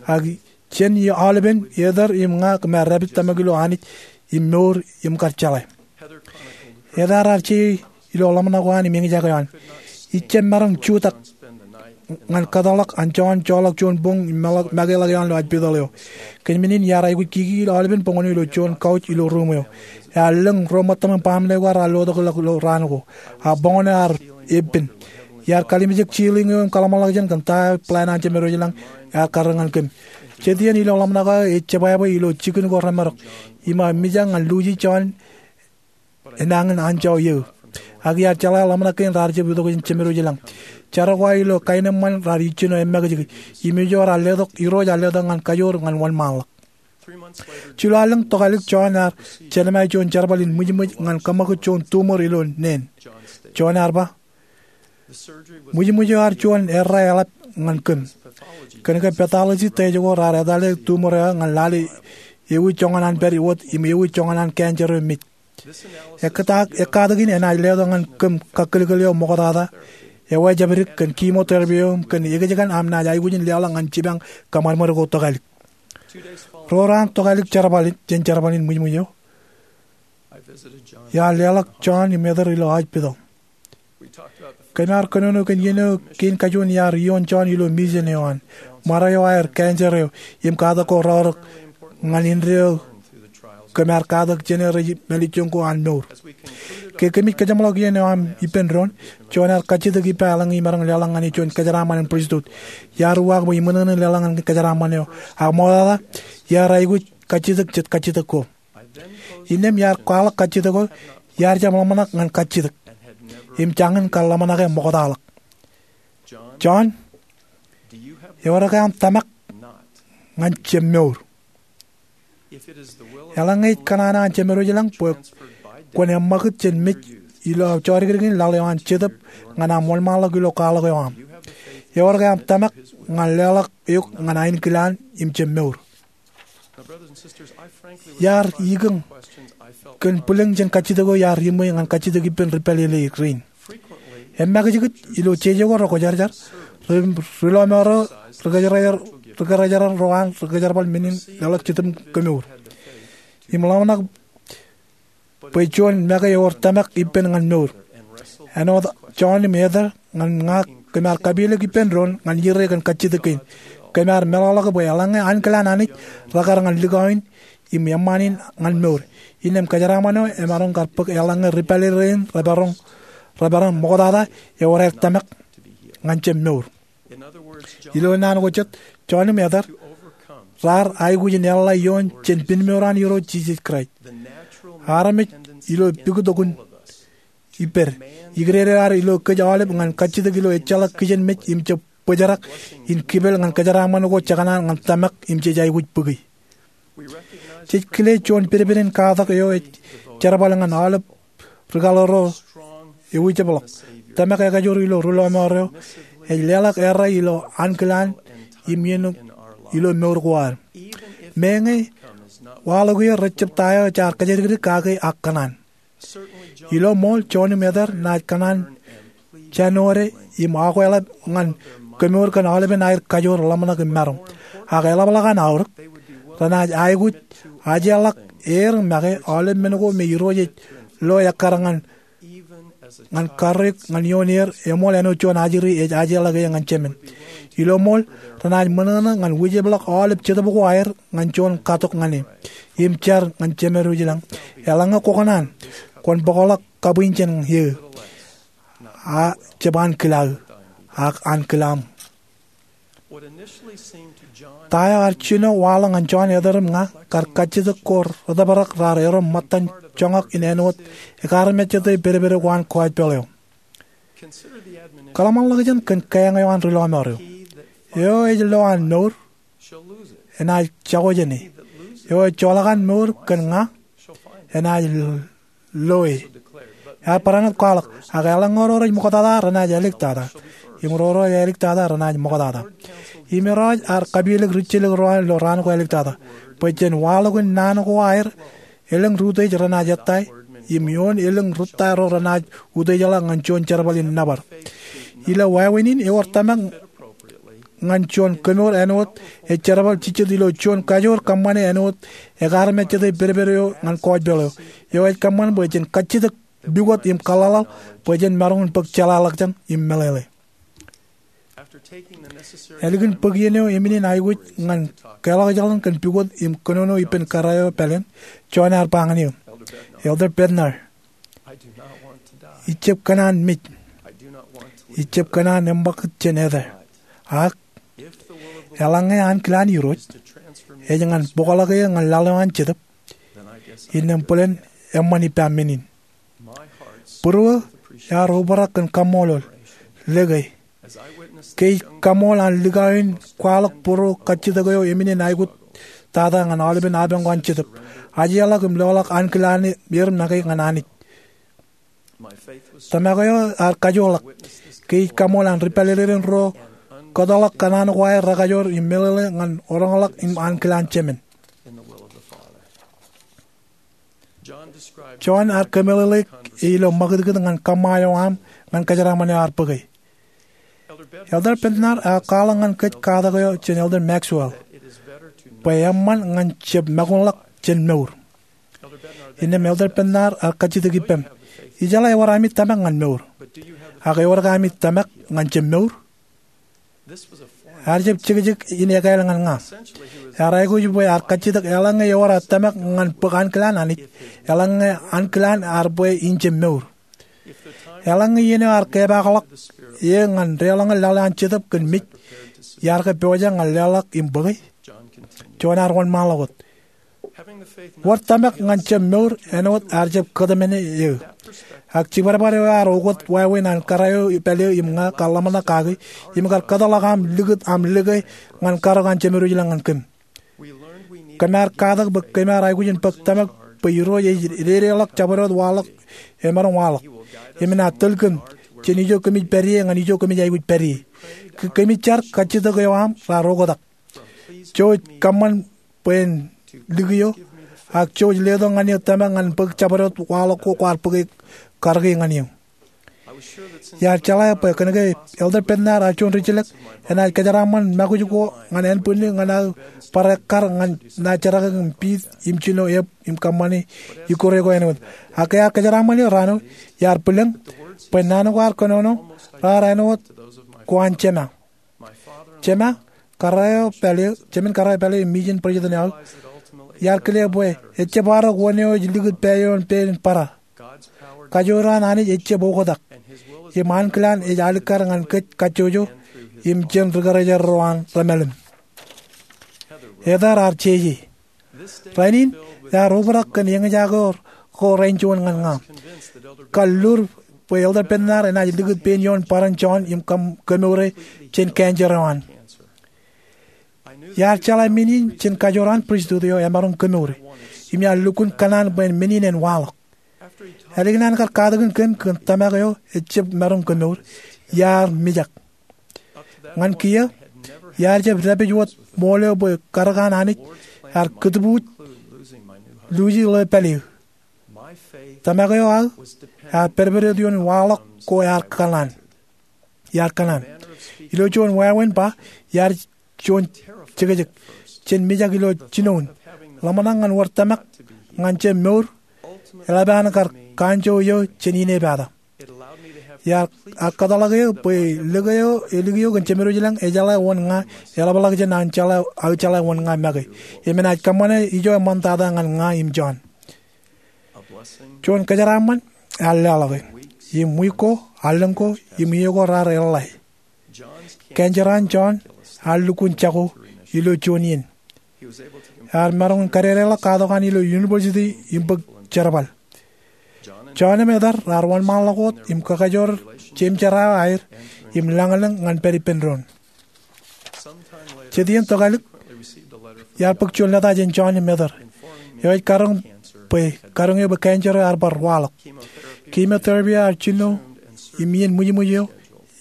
Ak jān aolepen, Heather im ña kōm ar rapid tōmak ilo Anij im mour im kar jeḷā. Heather ear je ilo ḷōmṇak eo an im eñjake eo an. Ij jab maroñ jutak ñan kōtḷọk an John joḷọk juon boñ im makeḷọk eoon ilo ajpitōḷ eo. Kōn men in iar aikuj kiki ilo aolepen boñōn eo ilo juon couch ilo ruum eo. Ear lōñ ro ṃōttaṃ im baaṃle ko raar lotok ḷọk ilo raan ko. Ak boñōn eo ear eppen. Iar kalimjek ceiling eo im kōḷmānḷọkjeṇ kōn ta eo plan an Jemedwōj ilañ ear karreoik ñan kōm. Jet iien ilo ḷōmṇak eo ej jebwābwe ilo jikin ko remarok. Im aō mijak ñan luuji John enañin anjọ eō. Ak iar jeḷā ḷōmṇak kein raar jab itok jān Jemedwōj ilañ. Jar ko aō ilo kaenōṃṃan raar ijjino emmakijkij. Im ijo raar letok, Irooj ear letok ñan kajoor ñan wōnṃaanḷọk. Jilu allōñ tokālik John ear jelṃae juon jerbal in ṃwijṃwij ñan kōṃakūt juon tumor ilo neen. John ear ba, ṃwijṃwij eo ear juon errā eḷap ñan kōm. Kōnke pathology test ko raar etale tumor eo ñan lale ewi joñan an pād wōt im ewi joñan an cancer eo mej. Ekkatak, ekkatak in enaaj letok ñan kōm kakkōlkōl eo ṃoktata, ewāween jabdik kōn chemotherapy eo im kōn ekōjkan aṃ naaj aikuj in leḷọk ñan jipañ kōṃadṃōd ko tokālik. Ro raan tokālik jerbal in, jān jerbal in ṃwijṃwij eo, iar leḷọk John im Heather ilo ajpitōḷ. Kōm ar kōnono kōn iien eo kein kajuon iar ioon John ilo mission eo an. Ṃare eo aer, cancer eo, im katak ko reorōk ñan indeeo kōm ar katak jāne rej mālejjoñ ko an mour. Ke kōmij kōjeṃḷọk iien eo aṃ ippān doon, John ear kajjitōk ippa eḷaññe imaroñ leḷọk ñan e juon kōjeraaṃṃan in pristut. Iar uwaak bwe iṃōṇōṇō in leḷọk ñan kōjeraaṃṃan eo. Ak ṃoktata, iar aikuj kajjitōk jet kajjitōk ko. Innām iar kwaḷọk kajjitōk ko, iar jab ḷōmṇak ñan kajjitōk im jañin kar ḷōmṇake ṃoktaḷọk. John, ewōr ke aṃ tōmak ñan jab mour? Eḷaññe ej kōṇaan an Jemedwōj ilañ bwe kwōn eṃṃakūt jān mej ilo aō jodikdik in laḷ eo an jetōb ñan aṃ wōnṃaanḷọk ilo kwaḷọk eo aṃ, ewōr ke aṃ tōmak ñan leḷọk eok ñan ainikil an im jab mour? Iar ikōñ kōn bwilōñ jān kajjitōk eo iar iṃwe ñan kajjitōk ippān ri pālele rein. Emmakijkij ilo jeje ko rekwōjarjar, ri, ri lọmọọr eo, ri kōjerajer, ri kōjerajer ro an ri kōjerbal men in leḷọk Jetōb Kemour. Im ḷōmṇak bwe juon make ewōr tōmak ippān ñan mour. Āinwōt John im Heather, ñan ña kōm ar kapielōk ippān doon ñan iere kōn kajjitōk kein. kōm ar meḷọkḷọk bwe eḷaññe ankilaan Anij rekar ñan likao in im eṃṃaan in ñan mour, innām kōjeraaṃṃan eo emaroñ kar bōk eḷaññe ri-pālele rein reparoñ, reparoñ ṃoktata ewōr aer tōmak ñan jab mour. Ilo naan ko jet, Jon im Eder raar aikuj in eḷḷā ioon jān pinmour an Irooj Jisōs Kraist. Armej ilo pukot okun ippād, ikdede ad ilo kōj aolep ñan kajjitōk ilo ejjeḷọk kijenmej im jab bōjrak in kipel ñan kōjeraaṃṃan ko jekōṇaan ñan tōmak im jej aikuj bōki. Jej kile juon pedped in katak eo ej jerbal ñan aolep ri-kaḷoor ro ewijepḷọk. Tōmak ekajoor ilo ri-lọmọọr eo ej leḷọk errā ilo ankilaan im iien ilo mour ko ad. Meñe waḷọk eō rejjab ta eo jaar kōjatdikdik kake ak kōṇaan. Ilo ṃool, Jon im Eder naaj kōṇaan jān ode im akweḷap ñan kōmour kōn aolepen aer kajoor ḷōmṇak im maroñ. Ak eḷapḷọk an aorōk, renaaj aikuj ajeḷọk er make aolep men ko me Irooj ej lo ekkar ñan karreoik ñan ioon er eṃool āinwōt juon ajri ej ajeḷọk e ñan Jemān. Ilo ṃool, renaaj ṃōṇōṇō ñan wijepḷọk aolep jetōb ko aer ñan juon katok ñan e im jar ñan Jemān eo ej ilañ, eḷaññe kwō kōṇaan, kwōn bōkḷọk kabwiin jān eō, a jab ankilaaō, ak ankilaṃ. Ta eo ear jino waḷọk ñan Jon, Eder im ña kar kajjitōk ko retōprak raar erom ṃōttan joñak in āinwōt ekarmejjete pedped ko an kọjpeḷ eo. Kōḷmānḷọkjeṇ kōn keeañ eo an ri-lọmọọr eo. Eo ej lo an mour enaaj jako jān e. Eo ej joḷọk an mour kōn ña enaaj lo e. Ear barāinwōt kwaḷọk, ak eḷaññe ro rej ṃoktata renaaj āliktata, im ro rej āliktata renaaj ṃoktata. Im Irooj ear kapielōk ri-jilōk ro an ilo raan ko āliktata, bwe jān waḷọkin naan ko aer, elōñ ri-utiej renaaj ettā, im ioon elōñ rūtto ro renaaj utiejḷọk ñan juon jerbal in nōbar. Ilo wāween in ewōr tōmak ñan juon kōmour āinwōt ej jerbal jejjet ilo juon kajoor kōṃṃane āinwōt ekarmejjete pedped eo ñan kọjpeḷ eo. Eo ej kōṃṃan bwe jen kajjitōk pukot im kōḷḷaḷḷaḷ bwe jen maroñ in bōk jeḷāḷọkjeṇ im meḷeḷe. Ālikin bōk iien eo emin in aikuj ñan keḷọkjeḷan kōn pukot im kōnono ippān kōrā eo pāleen, Jon ear ba ñan eō, Elder Bednar, ijjab kōṇaan mej. Ijjab kōṇaan eṃṃakūt jān etā. Ak eḷaññe ankilaan Irooj ej ñan bōkḷọk eō ñan laḷ eo an Jetōb, innām bōlen eṃṃan ippa men in. Būruō ear obrak kōn kaṃṃoolol, lōke, ke ij kaṃool an likao in kwaḷọk būruō kajjitōk eo emin in aikuj tata ñan aolepen apañ ko an Jetōb, ajeḷọk im loḷọk ankilaan er make ñan Anij. Tōmak eo ear kajoorḷọk ke ij kaṃool an ri-pālele rein ro kōtḷọk kōṇaan ko aer rekajoor im meḷeḷe ñan roñḷọk im ankilaan Jemān. Jon ear kōmeḷeḷeik e ilo ṃakūtkūt ñan kōṃṃa eo aṃ ñan kōjeraaṃṃan eo ear bōke. Elder Bednar ear kwaḷọk ñan kōj katak eo jān Elder Maxwell, bwe eṃṃan ñan jab makuṇḷọk jān mour. Innām Elder Bednar ear kajjitōk ippaṃ, ijeḷā ewōr ami tōmak ñan mour, ak ewōr ke ami tōmak ñan jab mour? Ear jab jekjek in ekāāl ñan ña. Ear aikuj bwe ear kajjitōk eḷaññe ewōr aō tōmak ñan bōk ankilaan Anij, eḷaññe ankilaan ear bwe in jab mour. Eḷaññe iien eo ear kepaakḷọk eō ñan deḷọñe laḷ eo an Jetōb kōn mej, iar ke pojak ñan leḷọk im bōke? Jon ear wōnṃaanḷọk wōt, wōr tōmak ñan jab mour āinwōt ear jab kōtmāne eō. Ak jibadbad eo ear okot wāween an kōrā eo pād eō im ña kar ḷōmṇak kaki, im kar kōtḷọk aṃ likūt aṃ lōke ñan karōk an Jemān eo ej ilañ ñan kōm. Kōm ar katak bwe kōm ar aikuj in bōk tōmak bwe Irooj ej dedeḷọk jabdewōt waḷọk emaroñ waḷọk, im enaaj tōl kōm jān ijo kōmij pād ie ñan ijo kōmij aikuj pād ie. Ke kōmij jar, kajjitōk eo aṃ raar oktak. Jouj kōṃṃan bwe en likio, ak jouj letok ñan eō tōmak ñan bōk jabdewōt waḷọk ko kwaar bōke karōke ñan eō. Iar jeḷā bwe kōnke Elder Bednar ear juon ri-jilōk, enaaj kōjeraaṃṃan ṃakūj ko ñan ānbwinnū ñan aō bar ekkar ñan naaj jerkakik im piit im jino eb im kōṃṃane ikkure ko āinwōt. Ak ke ear kōjeraaṃṃan eō raan eo, iar bwilōñ bwe naan ko ear kōnono raar āinwōt ko an jema. Jema, Kōrā eo pāle, jemān kōrā eo pāle im mijin president eo aō, iar kile bwe ejjab arōk wōn eo ej likūt pā ioon pein barā. Kajoor an Anij ejjab oktak, im ankilaan ej alikkar ñan kōj kajjojo im jān ri karijer ro an remālōtlōt. Ether ar jeje. Rainin ear obrak kōn eñjake ko rein juon ñan ña. Kar lur bwe Elder Bednar enaaj likūt pein ioon barāinwōt John im kōm- kemour e jān cancer eo an. Iar jeḷā men in jān kajoor an pristut eo emaroñ kemour e, im iar lukkuun kōṇaan bwe men in en waḷọk. Ālikin an kar katakin kōm kōn tōmak eo ejjab maroñ kemour, iar mijak. Ñan kiiō, iar jab dāpij wōt ṃool eo bwe karōk an Anij ear kūtbuuj luuji ḷeo pāle eō. Tōmak eo aō ear pedped ioon waḷọk ko ear kōṇaan. Iar kōṇaan. Ilo juon wāween ba, iar juon jekjek, jān mijak ilo jinoin ḷōmṇak ñan wōr tōmak ñan jab mour, eḷap an kar kanjọ iiō jān inepata. Iar, ear kōtḷọk eō bwe likūt eo elik eō kōn Jemedwōj ilañ ejeḷā wōn ña eḷapḷọk jān an jeḷā, aō jeḷā wōn ña make. Im enaaj kōṃṃane ijo eṃṃantata ñan ña im John. Juon kōjeraaṃṃan ear leḷọk e. Im wiik ko, allōñ ko, im iiō ko raar eḷḷā. Cancer an John ear lukkuun jako ilo juon iien. Ear maroñ in kadedeḷọk katok an ilo university im bōk jerbal. John im Ether raar wōnṃaanḷọk wōt im kakajoor jeim jerā eo aer im lañlōñ ñan pād ippān doon. Jet iien tokālik, iar bōk juon leta jān John im Ether eo ej karoñ bwe, karoñ eō bwe cancer eo ear bar waḷọk. Chemotherapy eo ear jino im iien ṃwijṃwij eo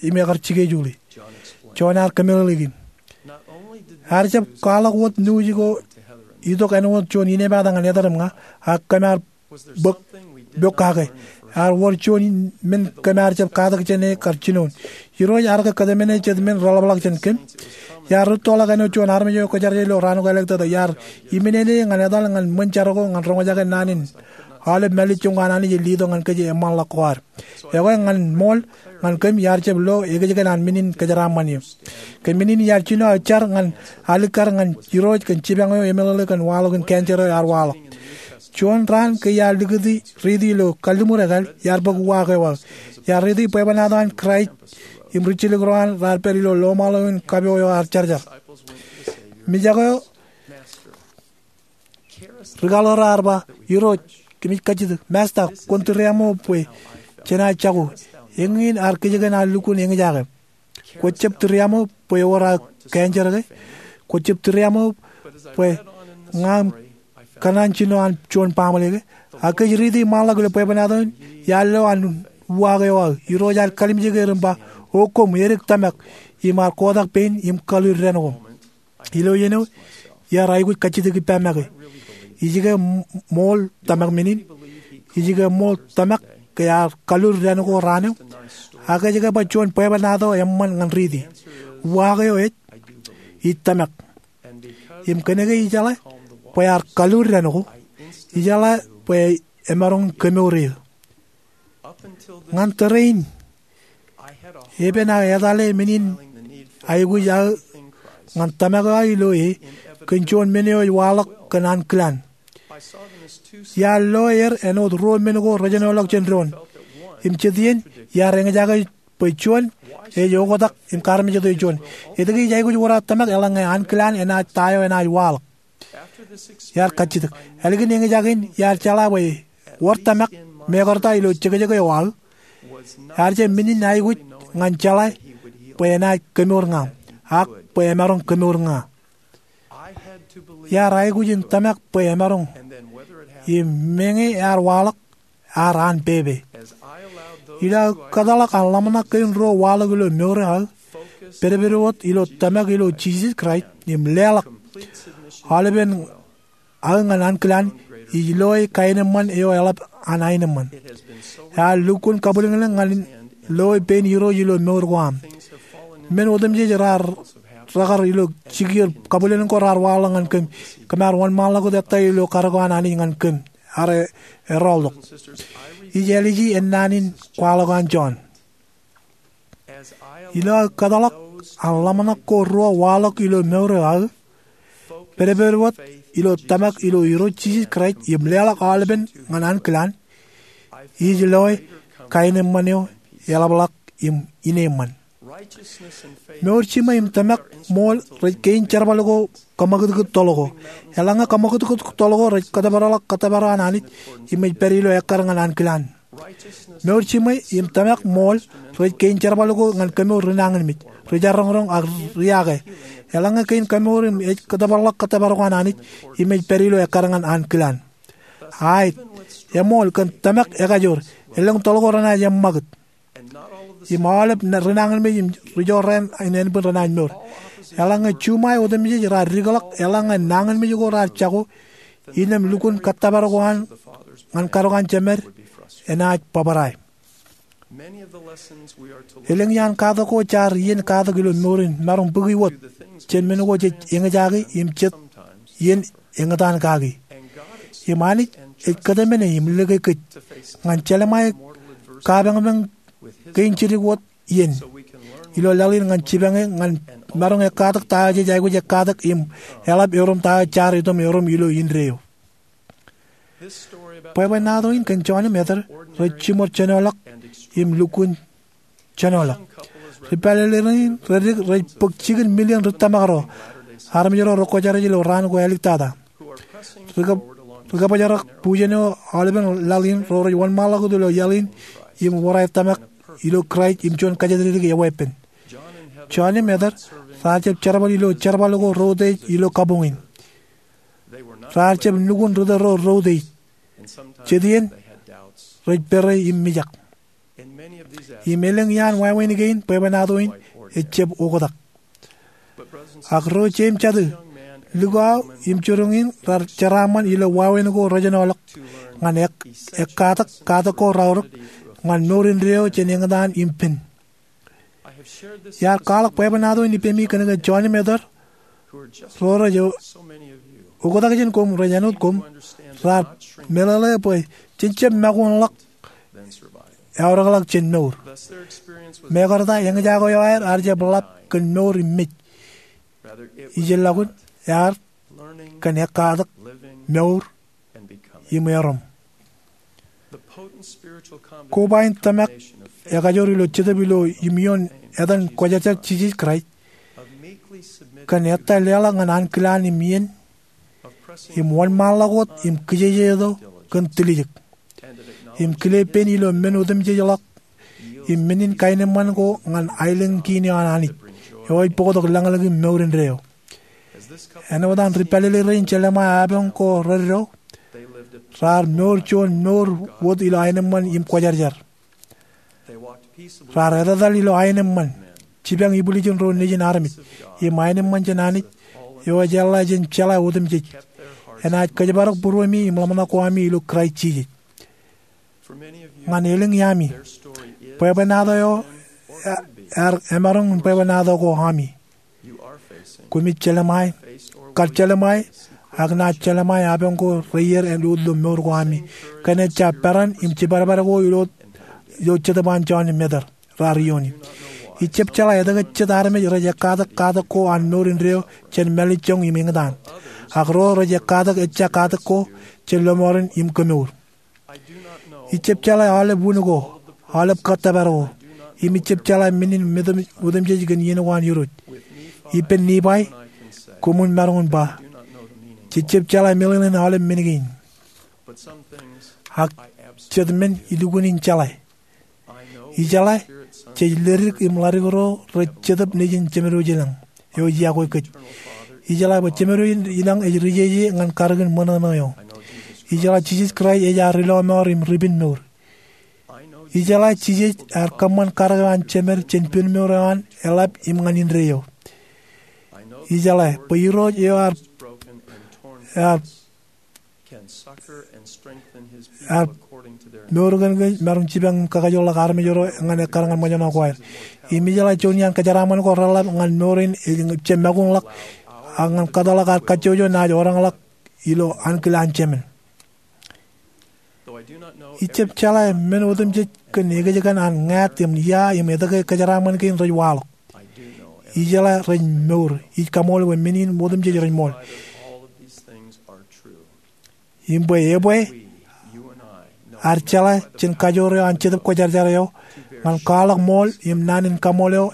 im ekar jikejuuḷi. John ear kōmeḷeḷeiki, ear jab kwaḷọk wōt news ko itok āinwōt juon inepata ñan Ether im ña, ak kōm ar bōk pokake. Ear wōr juon men kōm ar jab katak jān e kar jinoin. Irooj ear kōtmāne jet men reḷapḷọk jān kōm. Iar rūttoḷọk āinwōt juon armej eo kwōjarjar ilo raan ko elōñ tata. Iar iminene ñan etal ñan ṃōn jar ko ñan roñjake naan in aolep mālejjoñ ko an Anij ej letok ñan kōj eṃṃanḷọk ko ad. Ekwe ñan ṃool ñan kōm iar jab lo ekōjkan an men in kōjeraaṃṃan eō. Kōn men in iar jino aō jar ñan alikkar ñan Irooj kōn jipañ eo emeḷeḷe kōn waḷọk in cancer eo ear waḷọk. Juon raan ke iar likūti riiti ilo kalliṃur ekāāl, iar bōk uwaak eo aō. Iar riiti bwebwenato an Kraist im rijjelōk ro an raar pād ilo loṃaḷo in kapo eo ear jarjar. Mijak eo ri kaḷoor ear ba, Irooj, kōmij kajjitōk. Masta, kwōn tūriaṃo bwe jenaaj jako. Eñin ear kōjkan an lukkuun eñjake. Kwōjab tūriaṃo bwe ewōr aō cancer ke? Kwōjab tūriaṃo bwe ña im kōṇaan jino an juon baaṃle ke? Ak kōj riiti ṃaanḷọk ilo bwebwenato in, iar lo an uwaak eo aō. Irooj ear kalimjek er im ba, O koṃ, edik tōmak, im ar kotak pein im kalud dān koṃ. Ilo iien eo, iar aikuj kajjitōk ippa make. Ij ke ṃool tōmak men in? Ij ke ṃool tōmak ke ear kalud dān ko raan eo? Ak ej ke ba juon bwebwenato eṃṃan ñan riiti? Uwaak eo ej, ij tōmak. Im kōnke ijeḷā bwe ear kalud dān ko, ijeḷā bwe emaroñ kemour eō. Ñan tōrein, epen aō etale men in aikuj aō ñan tōmak eo aō ilo e kōn juon men eo ej waḷọk kōn ankilaan. Iar lo er āinwōt ruo men ko rejenoḷọk jān doon. Im jet iien, iar eñjake bwe juon ej oktak im kaarmejate juon. Etke ij aikuj wōr aō tōmak eḷaññe ankilaan enaaj ta eo enaaj waḷọk? Iar kajjitōk. Ālikin eñjake in, iar jeḷā bwe wōr tōmak, mekarta ilo jekjek eo aō, ear jab men in aikuj ñan jeḷā bwe enaaj kemour ña, ak bwe emaroñ kemour ña. Iar aikuj in tōmak bwe emaroñ, im meñe ear waḷọk, ear an pepe. Ilo aō kōtḷọk an ḷōmṇak kein ruo waḷọk ilo mour eo aō, pedped wōt ilo tōmak ilo Jisōs Kraist im leḷọk aolepen aō ñan ankilaan, ij loe kaenōṃṃan eo eḷap an aenōṃṃan. Ear lukkuun kabwilōñlōñ ñan loe pein Irooj ilo mour ko aṃ. Men otemjej raar rekar ilo jikier kabwilōñlōñ ko raar waḷọk ñan kōm. Kōm ar wōnṃaanḷọk wōt ettā ilo karōk eo an Anij ñan kōm. Ak erọọltok. Ij āliji ennaan in kwaḷọk an John. Ilo aō kōtḷọk an ḷōmṇak ko ruo waḷọk ilo mour eo aō, pedped wōt ilo tōmak ilo Irooj Jisōs Kraist im leḷọk aolepen ñan ankilaan, ij loe kaenōṃṃan eo eḷapḷọk im ineeṃṃan. Mour jiṃwe im tōmak ṃool rej kein jerbal ko kōṃakūtkūt toḷ ko. Eḷaññe kōṃakūtkūt toḷ ko rej kōtōpar ḷọk kōttōpar eo an Anij im ej pād ilo ekkar ñan ankilaan. Mour jiṃwe im tōmak ṃool rej kein jerbal ko ñan kemour ri nañinmej, ri jarroñroñ ak riake. Eḷaññe kein kemour im ej kōtōpar ḷọk kōttōpar ko an Anij im ej pād ilo ekkar ñan ankilaan. Aet, eṃool kōn tōmak ekajoor, elōñ toḷ ko renaaj eṃṃakūt. Im aolep ri nañinmej im ri jorrāān in ānbwin renaaj mour. Eḷaññe juṃae otemjej raar dikḷọk, eḷaññe nañinmej ko raar jako, innām lukkuun kōttōpar ko an ñan katok an Jemed enaaj bōbrae. Elōñ iaan katak ko jaar iien katak ilo mour in maroñ bōki wōt jān men ko jej eñjake im jet iien eñtaan kaki. Im Anij ej kōtmāne im lōke kōj ñan jelṃae kapañpañ kein jidik wōt iien ilo laḷ in ñan jipañe ñan maroñ ekkatak ta eo jej aikuj ekkatak im eḷap erom ta eo jaar itok erom ilo indeeo. Bwebwenato in kōn John im Heather rej jiṃor jenoḷọk im lukkuun jenoḷọk. Ri pālele rein redik rej bōk jikin milion ri tōmak ro, armej ro rekwōjarjar ilo raan ko āliktata, ri kab-, ri kabōjrak bujen eo aolepen laḷ in ro rej wōnṃaanḷọk wōt ilo iaḷ in im wōr aer tōmak ilo Kraist im juon kōjatdikdik eweeppān. John im Heather raar jab jerbal ilo jerbal ko reutiej ilo kabuñ in. Raar jab nukun ritōl ro reutiej. Jet iien rej pere im mijak. Im elōñ iaan wāween kein bwebwenato in ejab oktak. Ak ro jeiū im jatū, likao im jiroñ in raar jeraaṃṃan ilo wāween ko rejenoḷọk ñan ek-, ekkatak katak ko raorōk ñan mour indeeo jān eñtaan im pen. Iar kwaḷọk bwebwenato in ippemi kōnke John im Heather, ro rej oktak jān koṃ, rej āinwōt koṃ, raar meḷeḷe bwe jen jab makuunḷọk, eaorōkḷọk jān mour. Mekarta eñjake eo aer ear jab ḷap kōn mour im mej. Ijellọkun ear kōn ekkatak, mour im erom. Koba in tōmak ekajoor ilo Jetōb ilo iṃioon etan Kwōjarjar Jisōs Kraist kōn ettā leḷọk ñan ankilaan im iien im wōnṃaanḷọk wōt im kijejeto kōn tiljek im kile pen ilo men otemjej ḷọk im men in kaenōṃṃan ko ñan aelōñ kein eo an Anij eo ej bōktok lañlōñ im mour indeeo. Āinwōt an ri pālele rein jelṃae apañ ko reddo, raar mour juon mour wōt ilo aenōṃṃan im kwōjarjar. Raar etetal ilo aenōṃṃan, jipañ ibwiljin ro nejin armej, im aenōṃṃan jān Anij eo ej eḷḷā jān jeḷā otemjej, enaaj kōjparok būruemi im ḷōmṇak ko ami ilo Kraist Jisōs. Ñan elōñ iaami, bwebwenato eo ear emaroñ in bwebwenato ko ami. Koṃij jelṃae, kar jelṃae, ak naaj jelṃae apañ ko reiier āinwōt ilo mour ko ami. Kōn ejja peran im jibadbad ko ilo, ilo jetōb an John im Heather raar iiooni. Ij jab jeḷā etke jet armej rej ekkatak katak ko an mour indeeo jān mālejjoñ im eñtaan. Ak ro rej ekkatak ejja katak ko jān lọmọọren im kemour. Ij jab jeḷā aolep wūn ko, aolep kōttōpar ko, im ij jab jeḷā men in otemjej kōn iien ko an Irooj. Ippān Nifai, koṃwin maroñ in ba, jej jab jeḷā meḷeḷein aolep men kein. Ak jet men ilukkuun in jeḷā. Ijeḷā, jej ledik im ḷadik ro rej Jetōb Nejin Jemedwōj ilañ eo ej iakwe kōj. Ijeḷā bwe Jemedwōj ilañ ej ri jeje ñan karōkin ṃōṇōṇō eo. Ijeḷā Jisōs Kraist ej ad ri lọmọọr im ri pen mour. Ijeḷā Jisōs ear kōṃṃan karōk eo an Jemed jān pen mour eo an eḷap im ñan indeeo. Ijeḷā bwe Irooj eo ear, ear mour kōn kōj, maroñ jipañ im kakajoorḷọk armej ro ñan ekkar ñan ṃōjṇọ ko aer. Im ijeḷā juon iaan kōjeraaṃṃan ko reḷap ñan mour in ej jab makuunḷọk, ak ñan kōtḷọk ad kajjojo naaj wōnṃaanḷọk ilo ankilaan Jemān. Ij jab jeḷā men otemjej kōn ekōjkan an ñāāt im ia im etke kōjeraaṃṃan kein rej waḷọk. Ijeḷā rej mour. Ij kaṃool bwe men in otemjej rej ṃool. Im bwe ebwe ad jeḷā jān kajoor eo an Jetōb Kwōjarjar eo ñan kwaḷọk ṃool im naan in kaṃool eo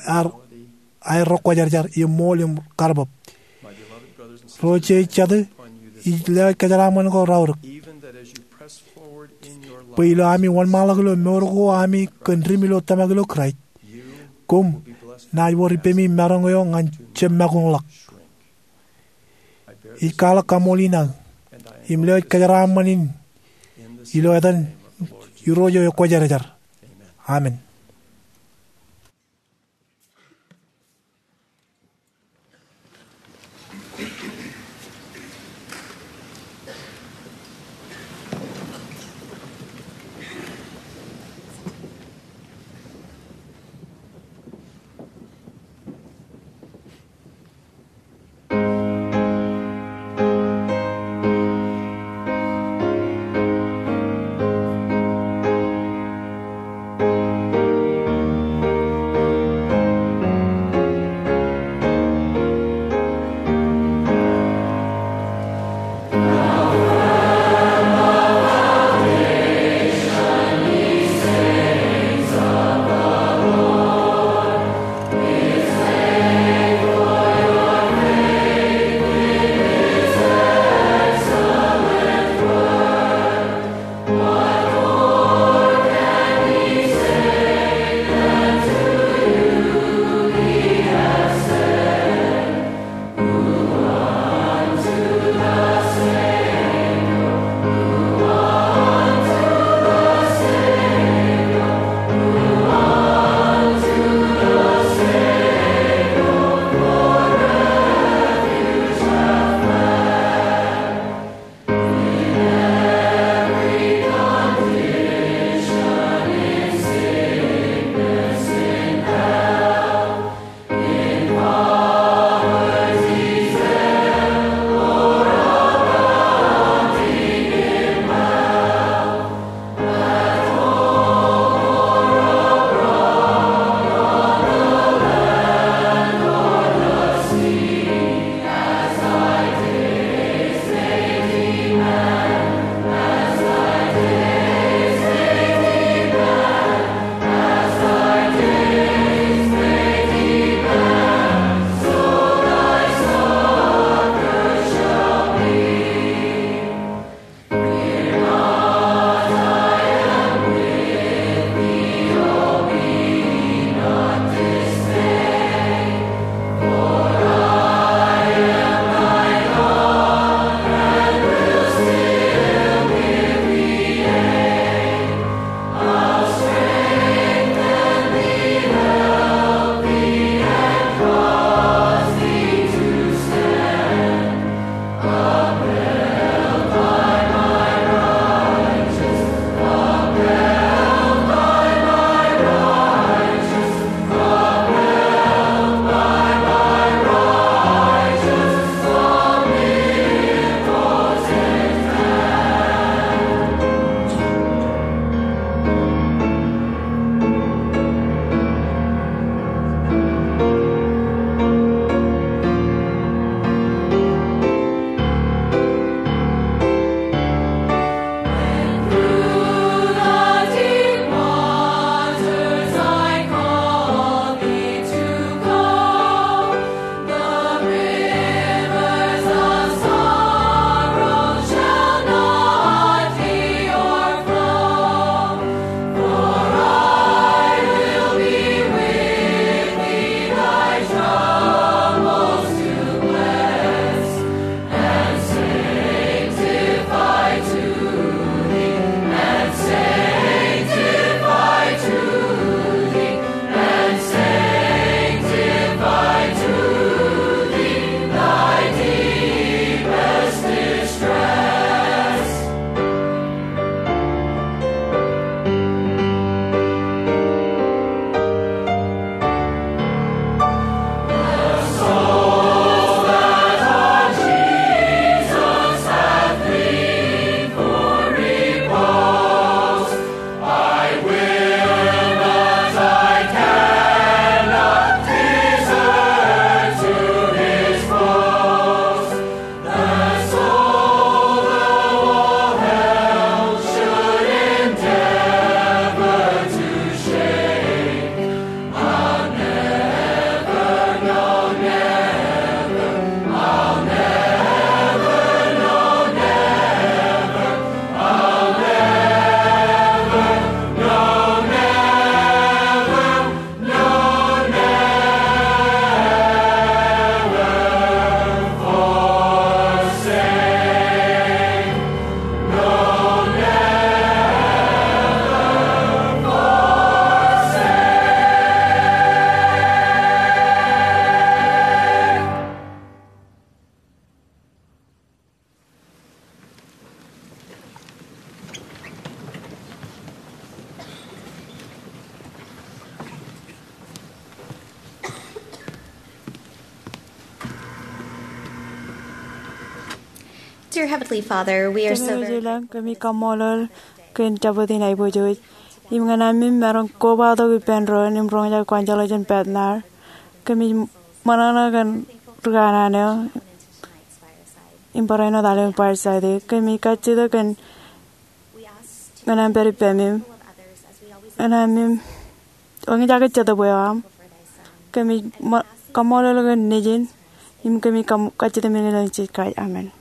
aer ro kwōjarjar im ṃool im karōbōb. Ro je ej jatū, ij lewōj kōjeraaṃṃan ko raorōk bwe ilo ami wōnṃaanḷọk ilo mour ko ami kōn dim ilo tōmak ilo Kraist, koṃ naaj wōr ippemi maroñ eo ñan jab makuñḷọk. Ij kwaḷọk kaṃool in aō im lewōj kōjeraaṃṃan in ilo etan Irooj eo ekwōjarjar. Amen. Dear Heavenly Father, we are so Kōmij very ilañ, kōmij kaṃṃoolol kōn jabdewōt in aiboojoj. Im ñan aṃ maroñ kobatok ippān doon im roñjake evangelist in Bednar. Kōmij ṃōṇōṇō kōn ri kanaan eo im barāinwōt aolep in fireside. Kōmij kajjitōk kōn ñan aṃ pād ippāmem. Ñan aṃ im eñjake jetōb eo aṃ. Kōmij ṃō-, kaṃṃoolol kōn Nejin, im kōmij kam-, kajjitōk men ilo etan Jisōs Kraist. Amen.